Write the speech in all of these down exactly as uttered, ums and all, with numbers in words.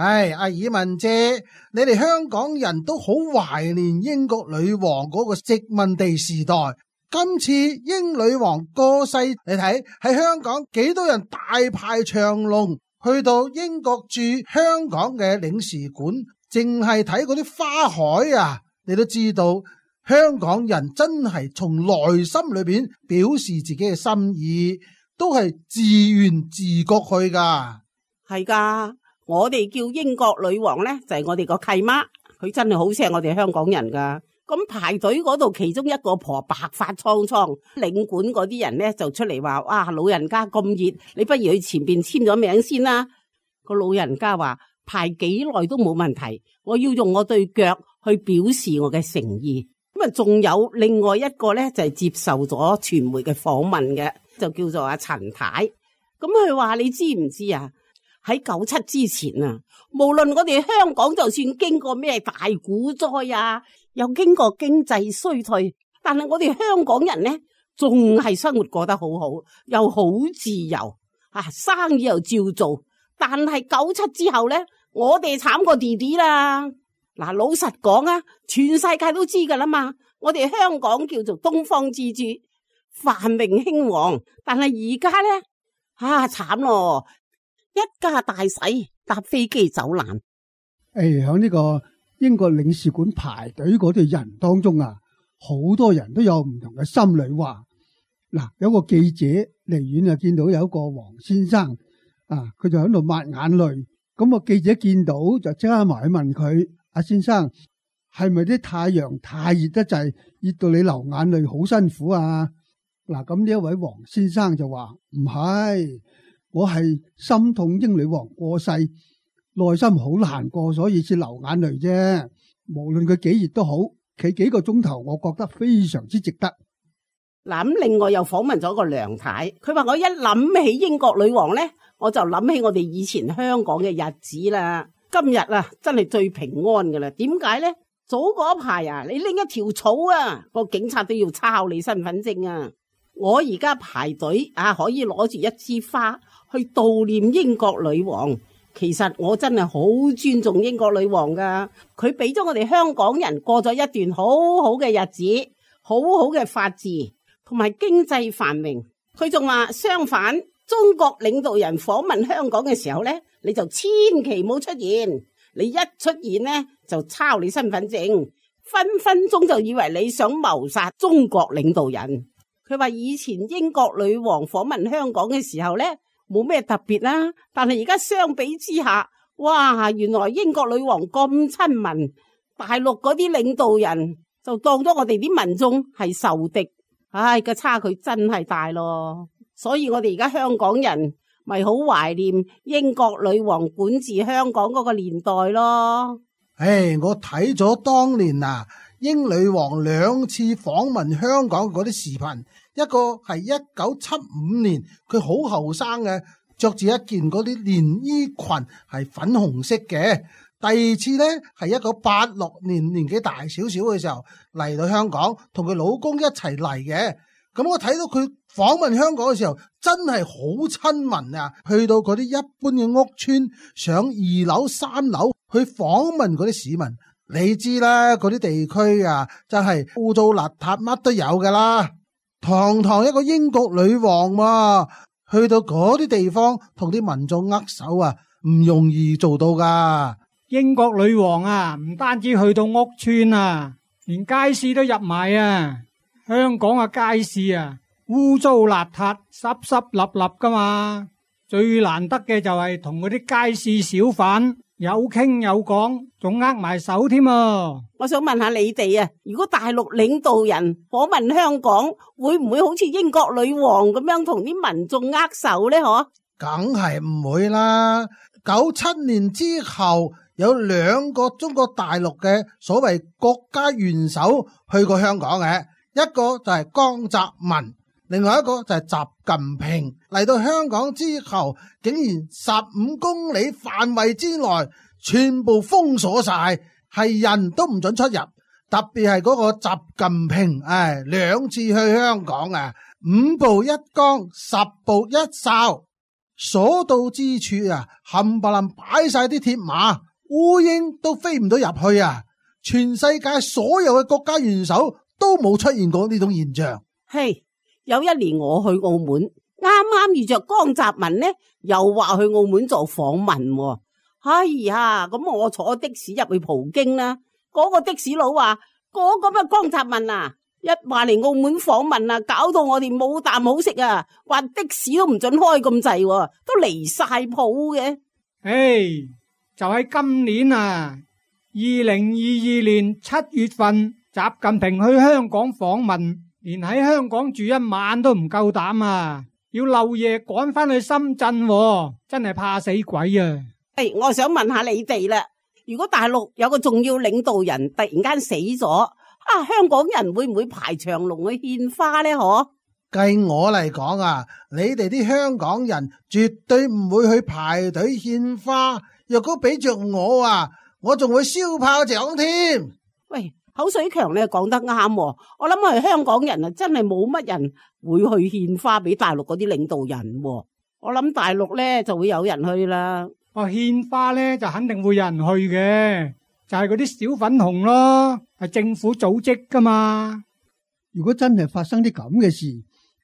唉，阿爾文姐，你哋香港人都好懷念英國女王嗰個殖民地時代。今次英女王過世，你睇喺香港幾多人大排長龍去到英國駐香港嘅領事館，淨係睇嗰啲花海啊，你都知道香港人真係從內心裏邊表示自己嘅心意，都係自願自覺去噶。係噶，我哋叫英國女王呢，就係我哋個契媽，佢真係好錫我哋香港人噶。咁排隊嗰度，其中一個婆白髮蒼蒼，領館嗰啲人呢就出嚟話：哇，老人家咁熱，你不如去前邊簽咗名先啦。個老人家話：排幾耐都冇問題，我要用我對腳去表示我嘅誠意。咁啊，仲有另外一個呢，就係接受咗傳媒嘅訪問嘅，就叫做阿陳太。咁佢話：你知唔知啊？喺九七之前啊，無論我哋香港就算經過咩大股災啊，又經過經濟衰退，但係我哋香港人呢，仲係生活過得好好，又好自由啊，生意又照做。但係九七之後呢，我哋慘過弟弟啦。嗱，老實講啊，全世界都知噶啦嘛，我哋香港叫做東方之珠，繁榮興旺。但係而家呢，啊慘咯！一家大細搭飛機走難。誒，喺呢個英國領事館排隊嗰啲人當中啊，好多人都有唔同嘅心裏話。嗱，有個記者離遠啊見到有一個黃先生啊，佢就喺度抹眼淚。咁個記者見到就即刻埋去問佢：阿先生，係咪啲太陽太熱得滯，熱到你流眼淚好辛苦啊？嗱，咁呢一位黃先生就話：唔係。我係心痛英女王過世，內心好難過，所以先流眼淚啫。無論佢幾熱都好，企幾個鐘頭，我覺得非常之值得。嗱，咁另外又訪問咗個梁太，佢話：我一諗起英國女王呢，我就諗起我哋以前香港嘅日子啦。今日啊，真係最平安噶啦。點解呢？早嗰排啊，你拎一條草啊，個警察都要抄你身份證啊。我而家排隊啊，可以攞住一支花去悼念英國女王。其實我真係好尊重英國女王噶，佢俾咗我哋香港人過咗一段好好嘅日子，好好嘅法治同埋經濟繁榮。佢仲話相反，中國領導人訪問香港嘅時候呢，你就千祈唔好出現，你一出現呢，就抄你身份證，分分鐘就以為你想謀殺中國領導人。佢話以前英國女王訪問香港嘅時候呢，冇咩特別啦，但係而家相比之下，哇，原來英國女王咁親民，大陸嗰啲領導人就當咗我哋啲民眾係仇敵，唉，個差距真係大咯。所以我哋而家香港人咪好懷念英國女王管治香港嗰個年代咯。唉，我睇咗當年啊，英女王兩次訪問香港嗰啲視頻，一個係一九七五年，佢好後生嘅，着住一件嗰啲連衣裙係粉紅色嘅。第二次呢係一九八六年，年紀大少少嘅時候嚟到香港，同佢老公一齊嚟嘅。咁我睇到佢訪問香港嘅時候，真係好親民啊！去到嗰啲一般嘅屋村，上二樓、三樓去訪問嗰啲市民。你知啦，嗰啲地區啊，真係污糟邋遢，乜都有噶啦。堂堂一個英國女王啊，去到嗰啲地方同啲民眾握手啊，唔容易做到噶。英國女王啊，唔單止去到屋村啊，連街市都入埋啊。香港嘅街市啊，污糟邋遢、濕濕立立噶嘛。最難得嘅就係同嗰啲街市小販有傾有講，仲握埋手添啊！我想問下你哋啊，如果大陸領導人訪問香港，會唔會好似英國女王咁樣同啲民眾握手呢？嗬，梗係唔會啦。九七年之後，有兩個中國大陸嘅所謂國家元首去過香港嘅，一個就係江澤民，另外一個就係習近平。嚟到香港之後，竟然十五公里範圍之內全部封鎖晒，係人都唔准出入。特別係嗰個習近平，唉，兩次去香港啊，五步一崗，十步一哨。所到之處啊，冚唪唥擺晒啲鐵馬，烏蠅都飛唔到入去啊！全世界所有嘅國家元首都冇出現過呢種現象。嘿，有一年我去澳門，啱啱遇着江澤民呢，又話去澳門做訪問。哎呀，咁我坐的士入去葡京啦，嗰個的士佬話嗰個乜江澤民啊，一話嚟澳門訪問啊，搞到我哋冇啖好食啊，話的士都唔准開咁滯，都離晒譜嘅。誒，就喺今年啊，二零二二年七月份，習近平去香港訪問，連喺香港住一晚都唔夠膽啊，要漏夜趕翻去深圳喎，真係怕死鬼啊！誒，我想問下你哋啦，如果大陸有個重要領導人突然間死咗，啊，香港人會唔會排長龍去獻花呢？嗬？計我嚟講啊，你哋啲香港人絕對唔會去排隊獻花。若果俾着我啊，我仲會燒炮仗添。喂，口水強你講得啱，我諗係香港人啊，真係冇乜人會去獻花俾大陸嗰啲領導人。我諗大陸咧就會有人去啦。哦，獻花咧就肯定會有人去嘅，就係嗰啲小粉紅咯，係政府組織噶嘛。如果真係發生啲咁嘅事，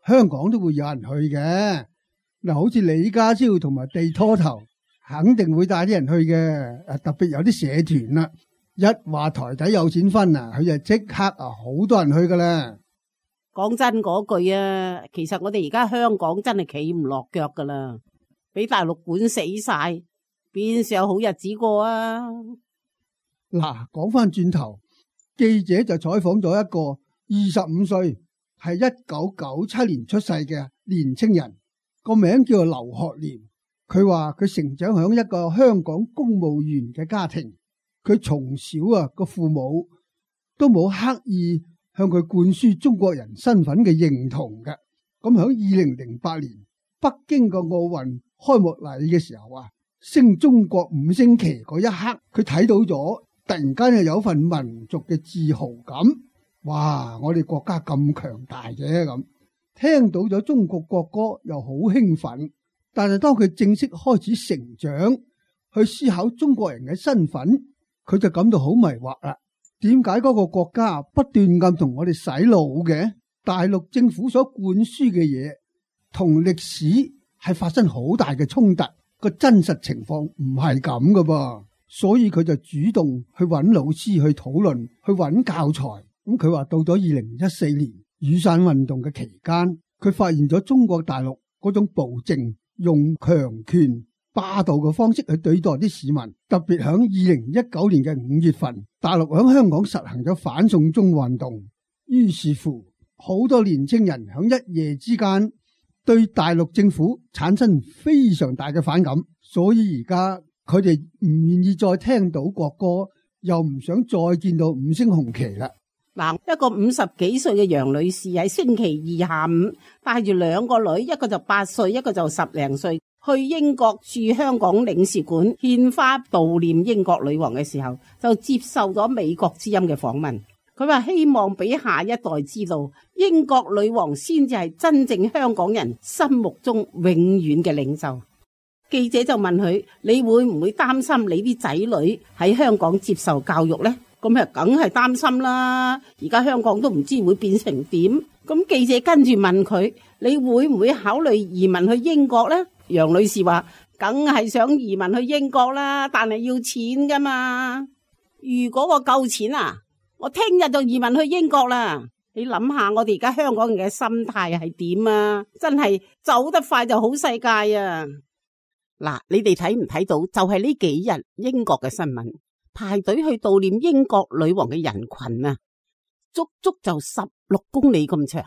香港都會有人去嘅。嗱，好似李家超同埋地拖頭，肯定會帶啲人去嘅。誒，特別有啲社團啦，一話台底有錢分啊，佢就即刻啊，好多人去噶啦。講真嗰句啊，其實我哋而家香港真係企唔落腳噶啦，俾大陸管死晒，邊時有好日子過啊？嗱，講翻轉頭，記者就採訪咗一個二十五歲，係一九九七年出世嘅年青人，個名叫做劉學廉。佢話佢成長響一個香港公務員嘅家庭，佢從小啊個父母都冇刻意向佢灌輸中國人身份嘅認同嘅。咁響二零零八年北京個奧運開幕禮嘅時候啊，升中國五星旗嗰一刻，佢睇到咗，突然間又有份民族嘅自豪感。哇！我哋國家咁強大嘅咁，聽到咗中國國歌又好興奮。但係當佢正式開始成長，去思考中國人嘅身份，佢就感到好迷惑啦。點解嗰個國家不斷咁同我哋洗腦嘅？大陸政府所灌輸嘅嘢同歷史係發生好大嘅衝突，個真實情況唔係咁噶噃。所以佢就主動去揾老師去討論，去揾教材。咁佢話到咗二零一四年雨傘運動嘅期間，佢發現咗中國大陸嗰種暴政，用強權霸道嘅方式去對待啲市民。特別響二零一九年嘅五月份，大陸響香港實行咗反送中運動，於是乎好多年青人響一夜之間對大陸政府產生非常大嘅反感，所以而家佢哋唔願意再聽到國歌，又唔想再見到五星紅旗啦。嗱，一個五十幾歲嘅楊女士喺星期二下午帶住兩個女，一個就八歲，一個就十零歲，去英國駐香港領事館獻花悼念英國女王嘅時候，就接受咗美國之音嘅訪問。佢話希望俾下一代知道，英國女王先至係真正香港人心目中永遠嘅領袖。記者就問佢：你會唔會擔心你啲仔女喺香港接受教育呢？咁啊，梗係擔心啦！而家香港都唔知會變成點。咁記者跟住問佢：你會唔會考慮移民去英國呢？楊女士話：梗係想移民去英國啦，但係要錢噶嘛。如果我夠錢啊，我聽日就移民去英國啦。你諗下，我哋而家香港人嘅心態係點啊？真係走得快就好世界啊！嗱，你哋睇唔睇到？就係呢幾日英國嘅新聞。排隊去悼念英國女王嘅人群啊，足足就十六公里咁長，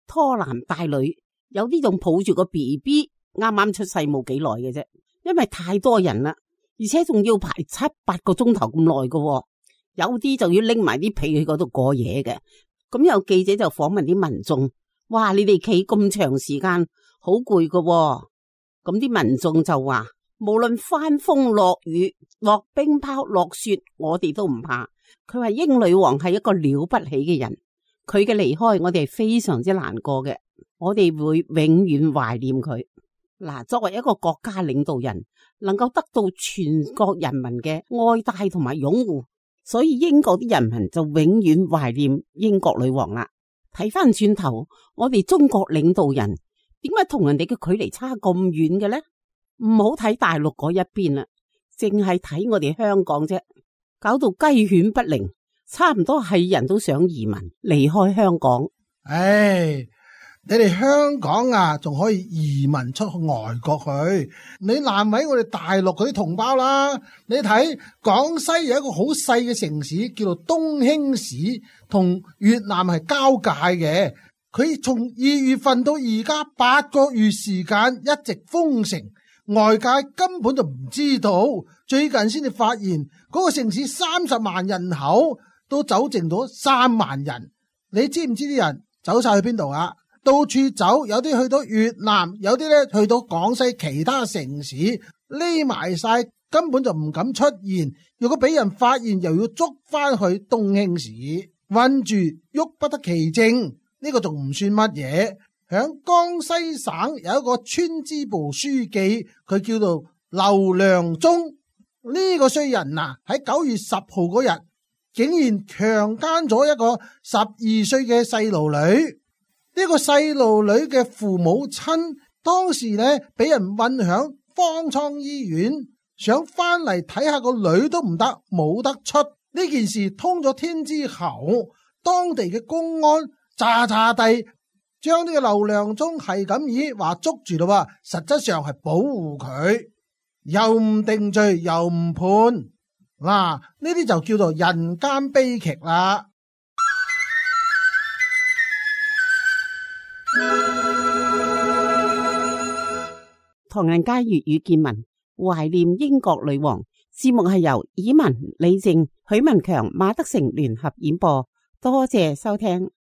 拖男帶女，有啲仲抱住個 B B， 啱啱出世冇幾耐嘅啫。因為太多人啦，而且仲要排七八個鐘頭咁耐嘅，有啲就要拎埋啲被去嗰度過夜嘅。咁有記者就訪問啲民眾，哇，你哋企咁長時間，好攰嘅。咁啲民眾就話，無論翻風落雨、落冰雹、落雪，我哋都唔怕。佢話英女王係一個了不起嘅人，佢嘅離開我哋係非常之難過嘅，我哋會永遠懷念佢。嗱，作為一個國家領導人，能夠得到全國人民嘅愛戴同埋擁護，所以英國啲人民就永遠懷念英國女王啦。睇翻轉頭，我哋中國領導人點解同人哋嘅距離差咁遠嘅呢？唔好睇大陸嗰一邊啦，淨係睇我哋香港啫，搞到雞犬不寧，差唔多係人都想移民離開香港。唉，你哋香港啊，仲可以移民出外國去，你難為我哋大陸嗰啲同胞啦。你睇廣西有一個好細嘅城市叫做東興市，同越南係交界嘅。佢從二月份到而家八個月時間一直封城，外界根本就唔知道，最近先至發現嗰個城市三十萬人口都走剩咗三萬人。你知唔知啲人走晒去邊度啊？到處走，有啲去到越南，有啲咧去到廣西其他城市，匿埋晒，根本就唔敢出現。如果俾人發現，又要捉翻去東興市，困住喐不得其正。呢個仲唔算乜嘢？響江西省有一個村支部書記，佢叫做劉良忠。呢個衰人啊，喺九月十號嗰日，竟然強姦咗一個十二歲嘅細路女。呢個細路女嘅父母親當時呢俾人運響方艙醫院，想翻嚟睇下個女都唔得，冇得出。呢件事通咗天之後，當地嘅公安詐詐地將呢個劉良忠係咁意話捉住咯，實質上係保護佢，又唔定罪又唔判。嗱，呢啲就叫做人間悲劇啦。唐人街粵語見聞，懷念英國女王。節目係由以文、李靜、許文強、馬德成聯合演播，多謝收聽。